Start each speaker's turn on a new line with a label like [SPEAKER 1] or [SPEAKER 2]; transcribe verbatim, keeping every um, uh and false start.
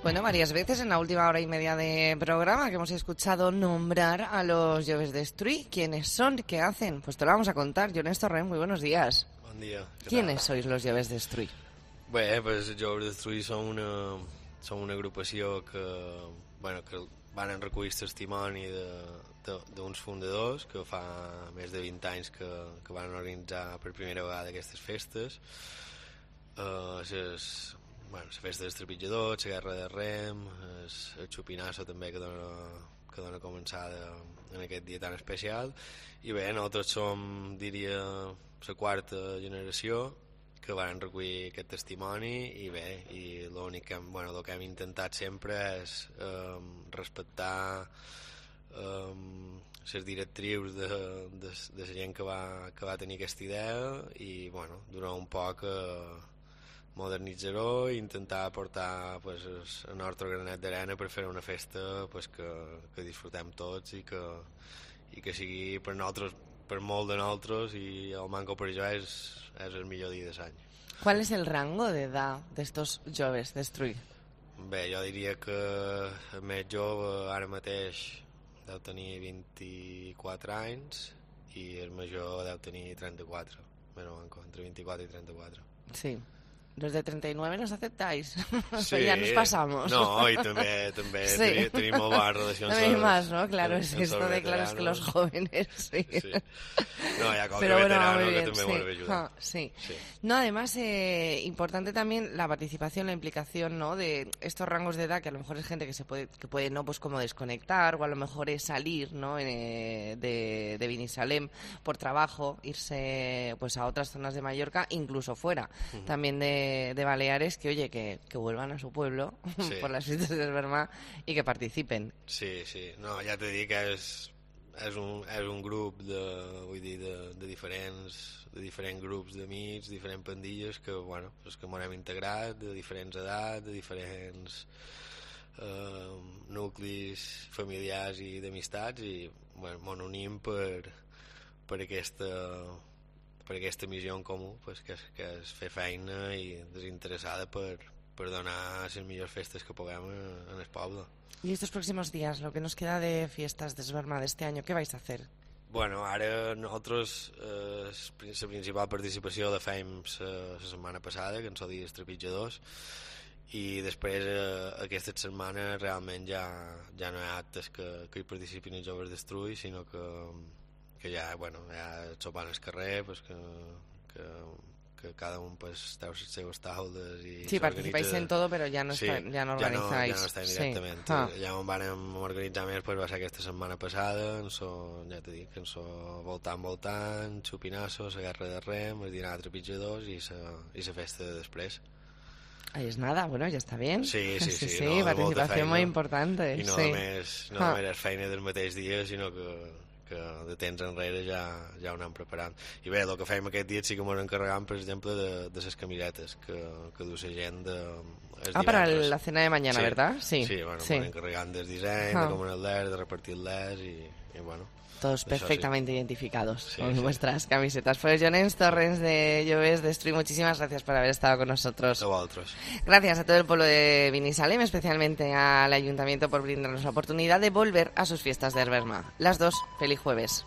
[SPEAKER 1] Bueno, varias veces en la última hora y media de programa que hemos escuchado nombrar a los Joves Destruir. ¿Quiénes son? ¿Qué hacen? Pues te lo vamos a contar. Jones Torrent, muy buenos días.
[SPEAKER 2] Bon dia.
[SPEAKER 1] ¿Quiénes sois los Joves Destruir?
[SPEAKER 2] Bé, pues, els Joves Destruir són una, són una agrupació que, bueno, que van recollir testimoni d'uns fundadors que fa més de vint anys que, que van organitzar per primera vegada aquestes festes. Uh, ses, bueno, la festa dels trepitjadors, la guerra de rem, el, el xupinasso també que dona, que dona començada en aquest dia tan especial. I bé, nosaltres som, diria, la quarta generació que van recollir aquest testimoni i bé, i l'únic que, bueno, el que hem intentat sempre és um, respectar um, les directrius de, de, de la gent que va, que va tenir aquesta idea i, bueno, durant un poc uh, modernitzar-ho i intentar aportar pues, el nostre granet d'arena per fer una festa pues, que, que disfrutem tots i que, i que sigui per nosaltres, per molt de nosaltres, i el manco per jo és, és el millor dia de l'any.
[SPEAKER 1] ¿Cuál es el rango de edad de estos Joves Destruir?
[SPEAKER 2] Bé, jo diria que el més jove ara mateix deu tenir vint-i-quatre anys i el major deu tenir trenta-quatre, bueno, manco, entre vint-i-quatre i trenta-quatre.
[SPEAKER 1] Sí. Los de treinta y nueve nos aceptáis.
[SPEAKER 2] Sí,
[SPEAKER 1] ya nos pasamos.
[SPEAKER 2] No, y también, también sí. tenim, tenim molt bones relacions.
[SPEAKER 1] También más, ¿no? Claro, es esto de claro, es que los jóvenes, sí.
[SPEAKER 2] sí. No, ya como
[SPEAKER 1] Pero
[SPEAKER 2] que
[SPEAKER 1] bueno,
[SPEAKER 2] veterano
[SPEAKER 1] muy bien,
[SPEAKER 2] que también
[SPEAKER 1] sí.
[SPEAKER 2] vuelve a ayudar.
[SPEAKER 1] Ah, sí.
[SPEAKER 2] sí.
[SPEAKER 1] No, además, eh, importante también la participación, la implicación, ¿no? De estos rangos de edad, que a lo mejor es gente que se puede, que puede, ¿no? Pues como desconectar, o a lo mejor es salir, ¿no? Eh, de, de Binissalem por trabajo, irse pues a otras zonas de Mallorca, incluso fuera, uh-huh. también de, de Baleares, que oye, que, que vuelvan a su pueblo sí. por las fiestas de Esberma y que participen.
[SPEAKER 2] Sí, sí, no, ja t'he dit que és, és, un, és un grup de, vull dir, de, de, diferents, de diferents grups d'amics, diferents pandilles que, bueno, pues que m'hem integrat, de diferents edats, de diferents eh, nuclis familiars i d'amistats i, bueno, m'ho unim per, per aquesta... per aquesta missió en comú, pues, que, és, que és fer feina i desinteressada per, per donar les millors festes que puguem en el poble.
[SPEAKER 1] ¿Y estos próximos días, lo que nos queda de fiestas de Esberma de este año, qué vais a hacer?
[SPEAKER 2] Bueno, ara nosaltres eh, la principal participació la fèiem la setmana passada, que en són dies trepitjadors, i després eh, aquesta setmana realment ja, ja no hi ha actes que, que hi participin els Joves Destruir, sinó que que ja, bueno, ja sopant al carrer, pues que, que, que cada un pues té les seves taules i
[SPEAKER 1] sí, participáis en todo, però ja no,
[SPEAKER 2] sí,
[SPEAKER 1] està, ja no organizáis.
[SPEAKER 2] Ja no, ja no estem directament. Sí. Ah. Ja on vam organitzar més pues, va ser aquesta setmana passada, en so, ja t'he dit, en so voltant, voltant, xupinasso, la guerra de rem, el dinar de trepitjadors i la festa de després.
[SPEAKER 1] Ahí es nada, bueno, ya está bien.
[SPEAKER 2] Sí, sí, sí.
[SPEAKER 1] sí, sí
[SPEAKER 2] no,
[SPEAKER 1] participación muy importante.
[SPEAKER 2] I no
[SPEAKER 1] sí.
[SPEAKER 2] només, no ah. només és feina del mateix dia, sinó que que de temps enrere ja, ja ho anem preparant. I bé, el que fèiem aquest dia sí que m'ho encarregam, per exemple, de, de les camisetes que, que du la gent de...
[SPEAKER 1] Ah, para la cena de mañana,
[SPEAKER 2] sí.
[SPEAKER 1] ¿verdad? Sí,
[SPEAKER 2] sí bueno,
[SPEAKER 1] sí.
[SPEAKER 2] m'ho encarregant del disseny, ah. de com el de repartir-les i, i bueno...
[SPEAKER 1] Todos perfectamente sí. identificados
[SPEAKER 2] sí,
[SPEAKER 1] con
[SPEAKER 2] sí.
[SPEAKER 1] vuestras camisetas. Pues Jones Torrent de Joves Destruir, muchísimas gracias por haber estado con nosotros.
[SPEAKER 2] A vosotros.
[SPEAKER 1] Gracias a todo el pueblo de Binissalem, especialmente al Ayuntamiento por brindarnos la oportunidad de volver a sus fiestas de Esberma. Las dos, feliz jueves.